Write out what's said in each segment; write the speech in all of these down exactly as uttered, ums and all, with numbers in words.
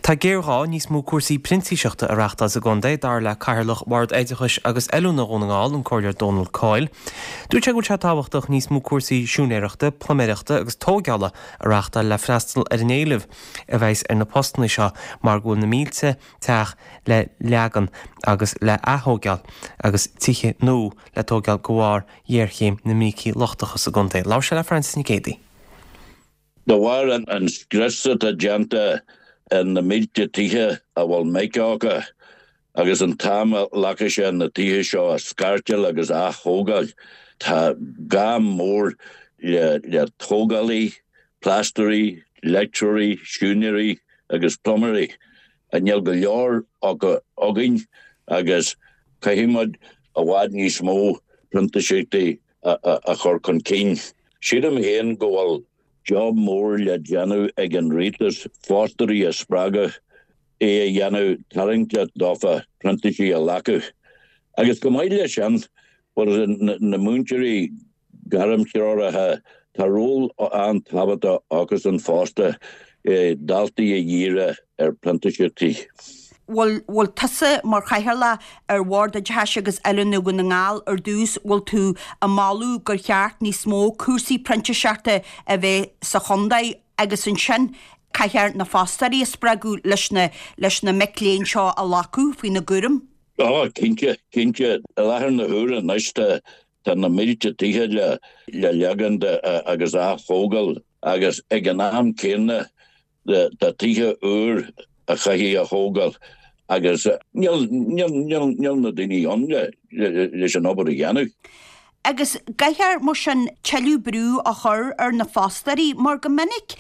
Tá géarghá níos mó cúrsaí printíseachta a reáchtáil sa gcontae dar le Cathaoirleach Bhord Oideachais agus Oiliúna Dhún na nGall an Comhairleoir Dónal Coyle. Dúirt sé go bhfuil sé tábhachtach níos mó cúrsaí siúinéireachta, pluiméireachta agus tógála a reáchtáil le freastal ar an éileamh a bheas ar na postanna seo mar go bhfuil na mílte teach le leagan agus le hatógáil agus tithe nua le tógáil de bharr ghéarchéim na mbrící lochtacha sa gcontae. Labhair sé le Francis Nic Géadaigh. De bharr an, an scrios atá déanta ar na mílte tithe a bhfuil mica acu agus an t-am a ghlacann sé na tithe seo a scairteáil agus a atógáil. Tá gá mór le, le tógálaí, plástairí, leictreoirí, siúinéirí agus pluiméirí. A níl go leor acu againn agus caithfimid i bhfad níos mó printíseachtaí a, a, a chur chun cinn. Sílim féin go bhfuil job mór le déanamh ag an rialtas fostóirí a spreagadh é a dhéanamh tarraingteach dófa printísigh a ghlacadh. Agus go maith leis sin na, na múinteoirí gairmthreoraithe tá ról an-tábhachtach acusan fosta eh, daltaí a dhíriú ar printíseachtaí. Bhfuil bhfuil tusa mar chathaoirleach ar Bhord Oideachais agus Oiliúna Dhún na nGall ar dtús bhfuil tú ag moladh gur cheart níos mó cúrsaí printíseachta a bheith sa chontae agus ansin caithfear na fostóirí a spreagadh leis na leis na mic léinn seo a ghlacadh faoina gcúram. Á cinnte cinnte i láthair na huaire anois tá tá na mílte tithe le le leagan agus a atógáil agus ag an am céanna tá tithe úr a chaithfidh a thógáil agus níl níl na daoine ann le leis an obair a dhéanamh. Agus caithfear mar sin tuilleadh brú a chur ar na fostóirí mar go minic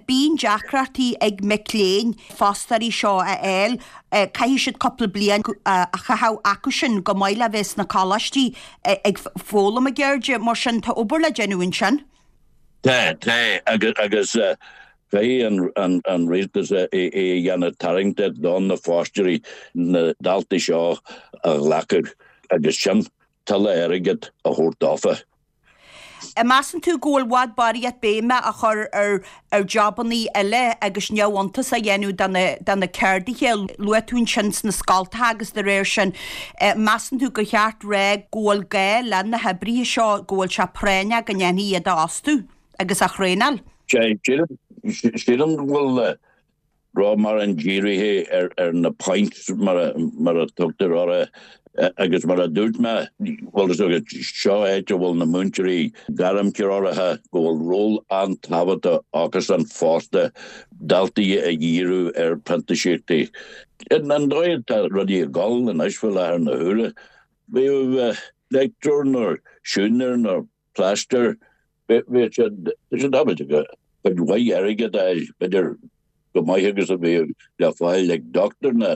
bíonn deacrachtaí ag mic léinn fostóirí seo a fháil caithfidh siad cúpla bliain a chaitheamh acu sin go maith le bheith sna coláistí ag foghlaim a gceirde mar sin tá obair le déanamh ansin. Tá tá agus agus Caithfidh an, an, an rialtas é a dhéanamh tarraingteach don na fostóirí na daltaí seo a ghlacadh agus sin tuilleadh airgead a thabhairt dófa. Measann tú go bhfuil i bhfad barraíocht béime a chur ar ar jabannaí eile agus neamhiontas a dhéanamh de na ceardaithe luaigh tú ansin sna scoltacha agus de réir sin measann tú gur cheart rá go bhfuil gá le na hoibrithe seo go bhfuil sé práinneach go ndéanfaí iad a fhostú agus a thraenáil. Sílim go bhfuil rud mar an dírithe ar ar na points mar a mar a tugtar orthu agus mar a dúirt mé bhfuil seo áit a bhfuil na múinteoirí gairmthreoraithe go bhfuil ról an-tábhachtach acusan fosta daltaí a dhíriú ar printíseachtaí. An dóigh tá rudaí ag dul anois faoi láthair na huaire. Bhí leictreoir nó siúinéir nó plaisteoir bhí siad siad ábalta go cuid mhaith airgead a b'fhéidir go maith agus a bhí le fáil ag doctor na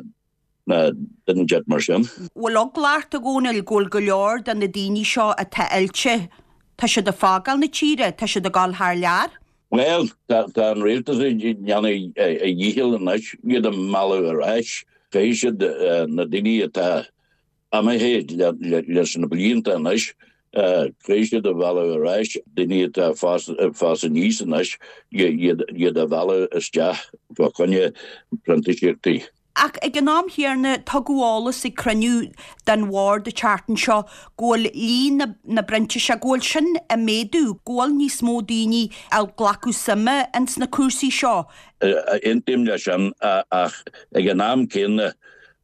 na duine mar sin. Bhfuil eagla ort a Dhónaill go bhfuil go leor de na daoine seo atá oilte Tá siad ag fágáil na tíre, tá siad ag dul thar lear? Well tá an rialtas ag déanamh a dhícheall anois iad a mhealladh ar ais. Caithfidh siad na daoine atá imithe leis na blianta anois caithfidh siad a mhealladh ar ais daoine atá fás aníos anois iad a mhealladh isteach fá choinne printíseachtaí. Ach ag an am chéanna tugadh eolas ag cruinniú den bhord an tseachtain seo go bhfuil líon na, na bprintíseach go bhfuil sin ag méadú, go bhfuil níos mó daoine ag glacadh suime ins na cúrsaí seo. Aontaím leis sin ach ag an am céanna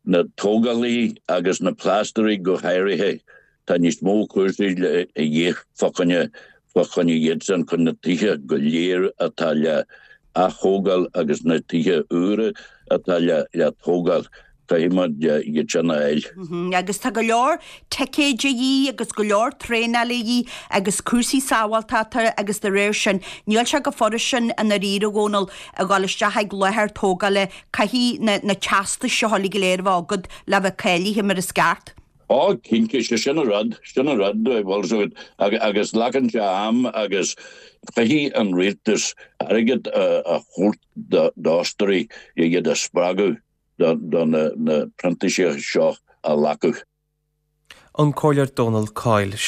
na tógálaí agus na plástairí go háirithe tá níos mó cúrsaí a dhíth fá choinne fá choinne iadsan chun na tithe go léir atá le atógáil agus na tithe úra atá le le tógáil caithfimid iad sin a fháil. Agus tá go leor ticéid a dhíth agus go leor traenáil a dhíth agus cúrsaí sábháilteachta agus de réir sin níl sé chomh furast sin i ndáiríre a Dhónaill a dhul isteach ag láthair tógála caithfidh na, na teastais seo uilig go léir a bheith agat le bheith cáilithe mar is ceart. Ó cinnte sé sin an rud sin an rud bhfuil agus glacann sé am agus caithfidh an rialtas airgead a thabhairt d'fhostóirí iad a spreagadh do na, na printísigh seo a ghlacadh. An Comhairleoir Dónal Coyle.